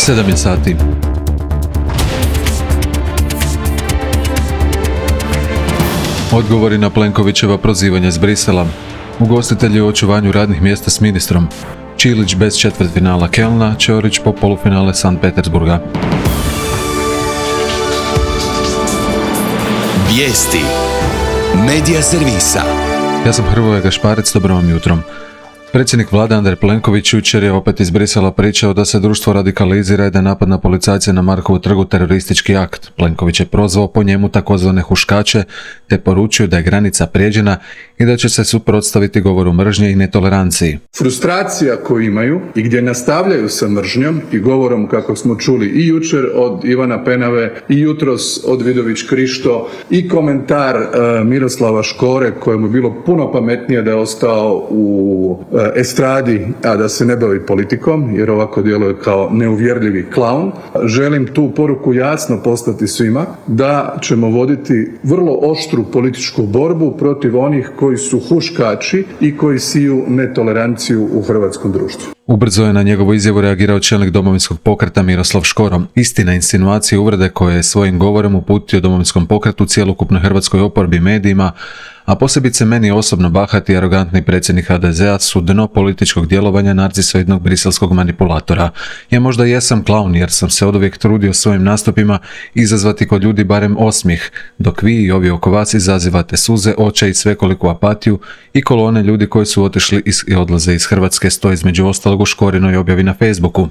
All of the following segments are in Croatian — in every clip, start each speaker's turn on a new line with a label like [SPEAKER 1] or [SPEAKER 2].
[SPEAKER 1] 7 je sati. Odgovori na Plenkovićeva prozivanja iz Brisela. Ugostitelji u očuvanju radnih mjesta s ministrom. Čilić bez četvrtfinala Kelna, Ćorić po polufinale Sankt Petersburga.
[SPEAKER 2] Vijesti Medija servisa.
[SPEAKER 1] Ja sam Hrvoje Gašparec, dobro vam jutro. Predsjednik vlade Andrej Plenković jučer je opet iz Brisela pričao da se društvo radikalizira i da je napad na policajce na Markovu trgu teroristički akt. Plenković je prozvao po njemu takozvane huškače te poručio da je granica prijeđena i da će se suprotstaviti govoru mržnje i netoleranciji.
[SPEAKER 3] Frustracija koju imaju i gdje nastavljaju sa mržnjom i govorom, kako smo čuli i jučer od Ivana Penave i jutros od Vidović Krišto i komentar Miroslava Škore kojemu je bilo puno pametnije da je ostao u estradi, a da se ne bavi politikom, jer ovako djeluje kao neuvjerljivi klaun. Želim tu poruku jasno poslati svima da ćemo voditi vrlo oštru političku borbu protiv onih koji su huškači i koji siju netoleranciju u hrvatskom društvu.
[SPEAKER 1] Ubrzo je na njegovu izjavu reagirao čelnik Domovinskog pokreta Miroslav Škoro. Istina, insinuacije i uvrede koje je svojim govorom uputio Domovinskom pokretu, cjelokupnoj hrvatskoj oporbi, medijima, a posebice meni osobno bahati i arogantni predsjednik HDZ-a su dno političkog djelovanja narcisoidnog briselskog manipulatora. Ja možda jesam klaun jer sam se oduvijek trudio svojim nastupima izazvati kod ljudi barem osmijeh, dok vi i ovi oko vas izazivate suze, očaj i svekoliku apatiju i kolone ljudi koji su otišli i odlaze iz Hrvatske, stoji između ostalog u Škorinoj objavi na Facebooku.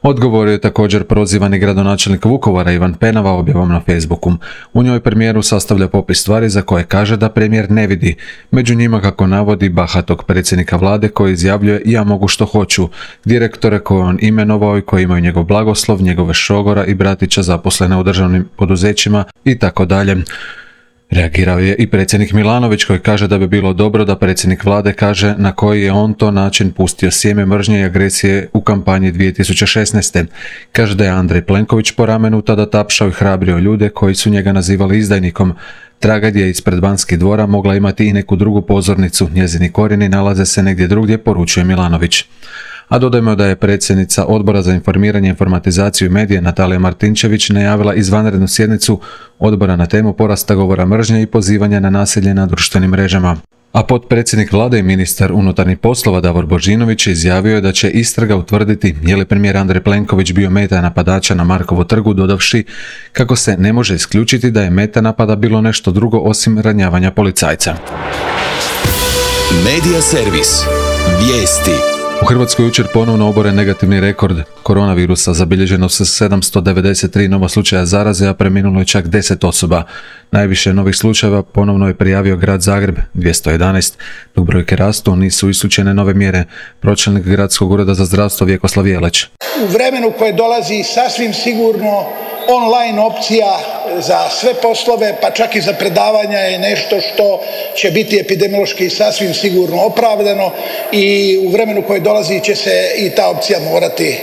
[SPEAKER 1] Odgovorio je također prozivani gradonačelnik Vukovara Ivan Penava objavom na Facebooku. U njoj premijeru sastavlja popis stvari za koje kaže da premijer ne vidi. Među njima, kako navodi, bahatog predsjednika vlade koji izjavljuje ja mogu što hoću, direktore koje on imenovao i koji imaju njegov blagoslov, njegove šogora i bratića zaposlene u državnim poduzećima i tako dalje. Reagirao je i predsjednik Milanović koji kaže da bi bilo dobro da predsjednik vlade kaže na koji je on to način pustio sjeme mržnje i agresije u kampanji 2016. Kaže da je Andrej Plenković po ramenu tada tapšao i hrabrio ljude koji su njega nazivali izdajnikom. Tragedija ispred Banskih dvora mogla imati i neku drugu pozornicu, njezini korijeni nalaze se negdje drugdje, poručuje Milanović. A dodajmo da je predsjednica Odbora za informiranje, informatizaciju i medije Natalija Martinčević najavila izvanrednu sjednicu odbora na temu porasta govora mržnje i pozivanja na nasilje na društvenim mrežama. A potpredsjednik vlade i ministar unutarnjih poslova Davor Božinović izjavio je da će istraga utvrditi je li premijer Andrej Plenković bio meta napadača na Markovu trgu, dodavši kako se ne može isključiti da je meta napada bilo nešto drugo osim ranjavanja policajca.
[SPEAKER 2] Medija servis. Vijesti.
[SPEAKER 1] U Hrvatskoj jučer ponovno oboren negativni rekord koronavirusa, zabilježeno se 793 nova slučaja zaraze, a preminulo je čak 10 osoba. Najviše novih slučajeva ponovno je prijavio grad Zagreb, 211, dok brojke rastu, nisu isključene nove mjere. Pročelnik Gradskog ureda za zdravstvo Vjekoslav Jeleć.
[SPEAKER 4] U vremenu koje dolazi sasvim sigurno online opcija za sve poslove, pa čak i za predavanja je nešto što će biti epidemiološki sasvim sigurno opravdano i u vremenu koje dolazi će se i ta opcija morati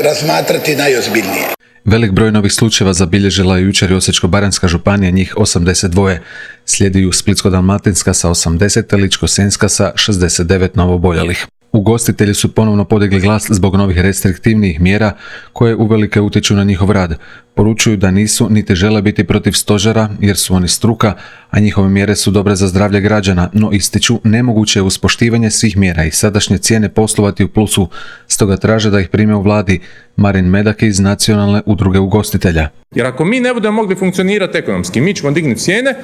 [SPEAKER 4] razmatrati najozbiljnije.
[SPEAKER 1] Velik broj novih slučajeva zabilježila je jučer i Osječko-baranjska županija, njih 82. Slijedi ju Splitsko-dalmatinska sa 80, te Ličko-senjska sa 69 novooboljelih. Ugostitelji su ponovno podigli glas zbog novih restriktivnih mjera koje uvelike utječu na njihov rad. Poručuju da nisu niti žele biti protiv stožera jer su oni struka, a njihove mjere su dobre za zdravlje građana, no ističu nemoguće je uz poštivanje svih mjera i sadašnje cijene poslovati u plusu, stoga traže da ih prime u vladi. Marin Medak iz Nacionalne udruge ugostitelja.
[SPEAKER 5] Jer ako mi ne budemo mogli funkcionirati ekonomski, mi ćemo dignuti cijene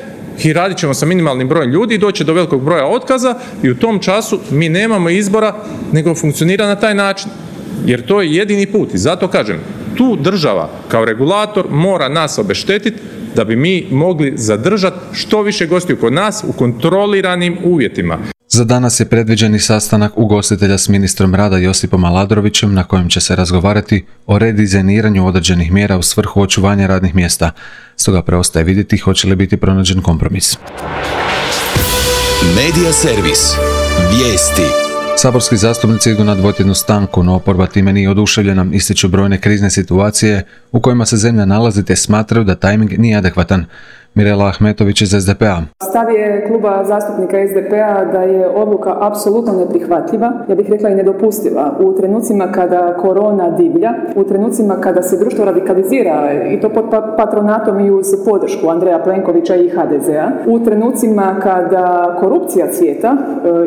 [SPEAKER 5] i radit ćemo sa minimalnim brojem ljudi i doći do velikog broja otkaza i u tom času mi nemamo izbora nego funkcionira na taj način. Jer to je jedini put i zato kažem, tu država kao regulator mora nas obeštetiti da bi mi mogli zadržati što više gostiju kod nas u kontroliranim uvjetima.
[SPEAKER 1] Za danas je predviđeni sastanak ugostitelja s ministrom rada Josipom Aladrovićem na kojem će se razgovarati o redizajniranju određenih mjera u svrhu očuvanja radnih mjesta. Stoga preostaje vidjeti hoće li biti pronađen kompromis.
[SPEAKER 2] Medija servis. Vijesti.
[SPEAKER 1] Saborski zastupnici idu na dvotjednu stanku, no oporba time nije oduševljena, ističu brojne krizne situacije u kojima se zemlja nalazi te smatraju da tajming nije adekvatan. Mirela Ahmetović iz SDP-a.
[SPEAKER 6] Stav je kluba zastupnika SDP-a da je odluka apsolutno neprihvatljiva, ja bih rekla i nedopustiva. U trenucima kada korona divlja, u trenucima kada se društvo radikalizira i to pod patronatom i uz podršku Andreja Plenkovića i HDZ-a, u trenucima kada korupcija cvijeta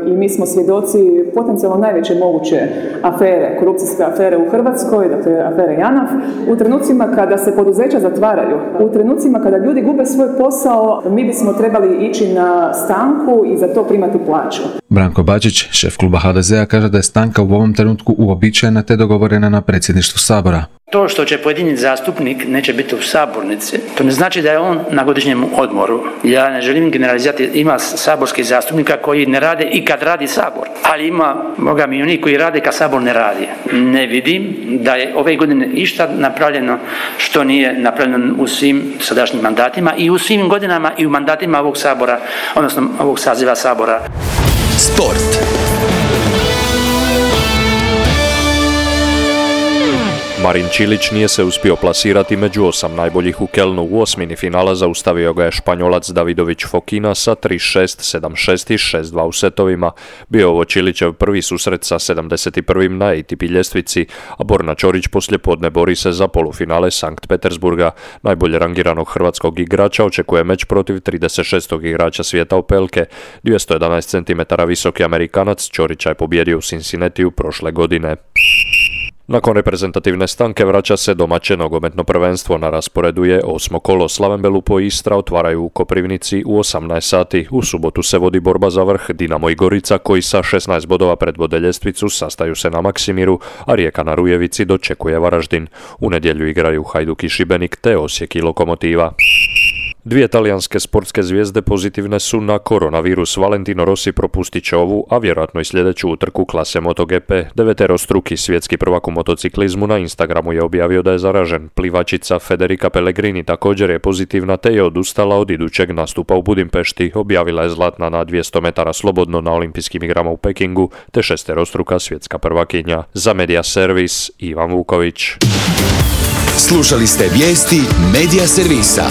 [SPEAKER 6] i mi smo svjedoci potencijalno najveće moguće afere, korupcijske afere u Hrvatskoj, dakle afere JANAF, u trenucima kada se poduzeća zatvaraju, u trenucima kada ljudi gube svoj posao, mi bismo trebali ići na stanku i za to primati plaću.
[SPEAKER 1] Branko Bačić, šef kluba HDZ-a, kaže da je stanka u ovom trenutku uobičajena te dogovorena na predsjedništvu Sabora.
[SPEAKER 7] To što će pojedini zastupnik neće biti u sabornici, to ne znači da je on na godišnjem odmoru. Ja ne želim generalizirati, ima saborskih zastupnika koji ne rade i kad radi Sabor, ali ima, Boga mi, oni koji rade kad Sabor ne radi. Ne vidim da je ove godine išta napravljeno što nije napravljeno u svim sadašnjim mandatima i u svim godinama i u mandatima ovog Sabora, odnosno ovog saziva Sabora.
[SPEAKER 2] Sport.
[SPEAKER 8] Marin Čilić nije se uspio plasirati među 8 najboljih u Kelnu. U osmini finala zaustavio ga je Španjolac Davidović Fokina sa 3-6, 7-6 i 6-2 u setovima. Bio ovo Čilićev prvi susret sa 71. na ATP ljestvici, a Borna Ćorić poslijepodne bori se za polufinale Sankt Petersburga. Najbolje rangiranog hrvatskog igrača očekuje meč protiv 36. igrača svijeta Opelke. 211 cm visoki Amerikanac Ćorića je pobjedio u Cincinnatiju prošle godine. Nakon reprezentativne stanke vraća se domaće nogometno prvenstvo. Na rasporedu je 8. kolo. Slaven Belupo i Istra otvaraju u Koprivnici u 18 sati. U subotu se vodi borba za vrh. Dinamo i Gorica, koji sa 16 bodova predvode ljestvicu, sastaju se na Maksimiru, a Rijeka na Rujevici dočekuje Varaždin. U nedjelju igraju Hajduk i Šibenik te Osijek i Lokomotiva. Dvije talijanske sportske zvijezde pozitivne su na koronavirus. Valentino Rossi propustit će ovu, a vjerojatno i sljedeću utrku klase MotoGP. Deveterostruki svjetski prvak u motociklizmu na Instagramu je objavio da je zaražen. Plivačica Federica Pellegrini također je pozitivna te je odustala od idućeg nastupa u Budimpešti. Objavila je zlatna na 200 metara slobodno na olimpijskim igrama u Pekingu te šesterostruka svjetska prvakinja. Za Media Servis, Ivan Vuković.
[SPEAKER 2] Slušali ste vijesti Media Servisa.